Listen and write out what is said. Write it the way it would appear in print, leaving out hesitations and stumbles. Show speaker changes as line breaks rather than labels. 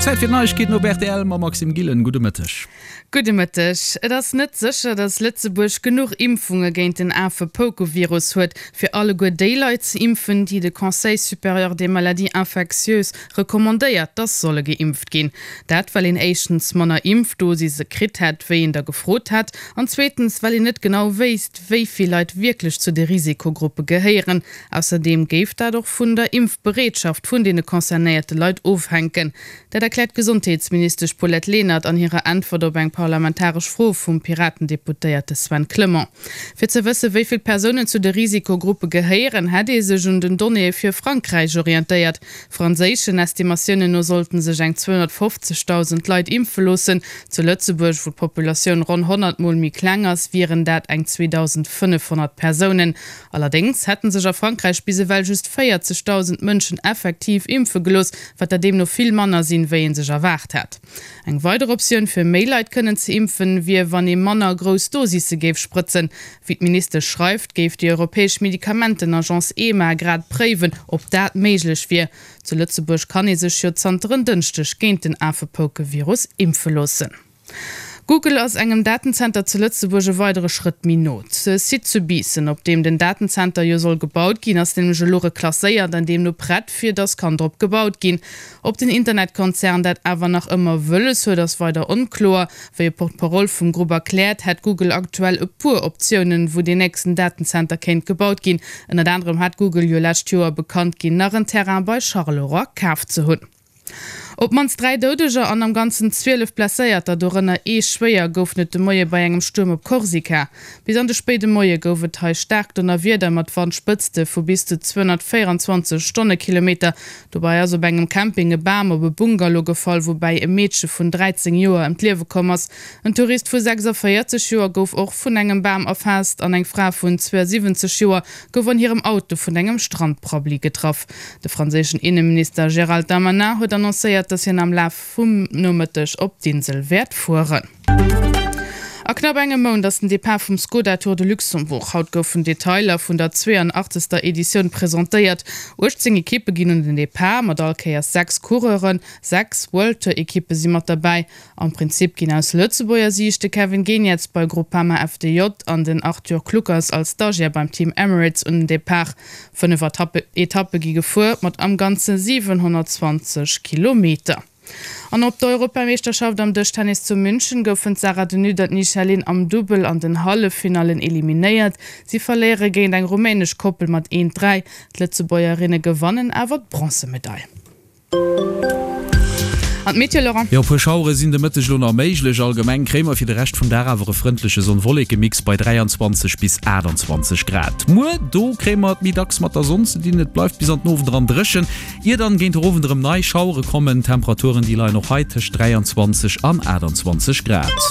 Zäit fir d'Neiegkeeten op rtl mam Maxime Gillen. Gudde Mëtteg.
Gudde Mëtteg. Et ass net sécher, datt Lëtzebuerg genuch Impfunge géint den Afepoukevirus huet, fir alleguer déi Leit ze impfen, déi de Conseil supérieur des maladies infectieuses recommandéiert, datt solle geimpft ginn. Dat well een éischtens manner Impfdosise kritt hätt, wéi een der gefrot hätt, an zweetens well een net genau wéisst, wéi vill Leit wierklech zu de Risikogruppe gehéieren. Ausserdeem géif dat och vun der Impfbereetschaft vun deene concernéierte Leit ofhänken. Dat erkläert d'Gesondheetsministesch Paulette Lenert an hirer Äntwert op eng parlamentaresch Fro vum Piraten-Deputéierte Sven Clement. Fir ze wësse wéi vill Persounen zu de Risikogruppe gehéieren, hätt ee sech un den Donnéeë fir Frankräich orientéiert. Franséischen Estimatiounen no sollten sech eng 250.000 Leit impfe loossen. Zu Lëtzebuerg, wou d'Populatioun ronn 100 Mol méi kleng ass, wieren dat eng 2.500 Persounen. Allerdéngs hätte sech a Frankräich bis ewell just 40.000 Mënschen effektiv impfe gelooss, wat der deemno vill manner sinn, wéi ee sech erwaart hat. Eng weider Optioun, fir méi Leit kënnen ze impfen, wier, wann ee manner grouss Dosisse géif sprëtzen. Wéi d'Ministesch schreift, géif déi europäesch Medikamentenagence EMA grad préiwen, ob dat méiglech wier. Zu Lëtzebuerg kann ee sech jo zanter en Dënschdeg géint den Afepoukevirus impfe loossen. Google ass engem Datenzenter zu Lëtzebuerg e weidere Schrëtt méi no. De Site zu Biissen, op deem den Datenzenter jo soll gebaut ginn, ass nämlech elo reklasséiert an deemno prett, fir datt kann drop gebaut ginn. Ob den Internetkonzern dat awer nach ëmmer wëlles huet, ass weider onkloer. Wéi e Porte-parole vum Grupp erkläert, hätt Google aktuell e puer Optiounen, wou deen nächsten Datenzenter kéint gebaut ginn. Ënnert anerem hat Google jo lescht Joer bekannt ginn, nach en Terrain bei Charleroi kaf ze hunn. Op d'mannst 3 Doudeger an am Ganzen 12 Blesséierter, dorënner ee schwéier, goufen et de Moie bei engem Stuerm op Korsika. Bis an de spéide Moie gouf et hei staark Donnerwieder mat Wandspëtzte vu bis zu 224 Stonnekilometer. Dobäi ass op engem Camping e Bam op e Bungalow gefall, woubäi e Meedche vun 13 Joer ëm d'Liewe komm ass. En Tourist vu 46 Joer gouf och vun engem Bam erfaasst an eng Fra vun 72 Joer gouf an hirem Auto vun engem Strandprabbli getraff. De franséischen Inneminister Gérald Darmanin huet annoncéiert, datt hien am Laf vum Nomëtteg op d'Insel wäert fueren. A knapp engem Mount ass den Depart vum Skoda Tour de Luxembourg. Haut goufen Detailer vun der 82. Editioun presentéiert. 18 Ekippe ginn un den Depart, mat all Kéiers 6 Coureuren. 6 World Tour Ekippe si mat derbäi. Am Prinzip ginn aus Lëtzebuerger Siicht de Kevin Geniets bei Groupama FDJ an den Arthur Kluckers als Stagiaire beim Team Emirates un den Depart. 5 Etappe gi gefuer, mat am Ganze 720 Kilometer. An op der Europameeschterschaft am Dëschtennis zu München goufen d'Sarah de Nutte an d'Nisha Lin am Dubbel an den Halleffinallen eliminéiert. Si verléiere géint eng rumänesch Koppel mat 1, 3. D'Lëtzebuergerinne gewannen awer d'Bronzemedail. An d'Meteo, Laurent?
Jo, e puer Schauere sinn de Mëtteg elo nach méiglech. Allgemeng kréie mer fir de Rescht vum Dag awer e frëndleche Sonn-Wolleke-Mix bei 23 bis 28 Grad. Muer, do kréie mer et méi dacks mat der Sonn ze dinn, et bleift bis an den Owend eran dréchen, ier dann géint den Owend erëm nei Schauere kommen. D'Temperaturen, déi leien och hei tëscht 23 an 28 Grad.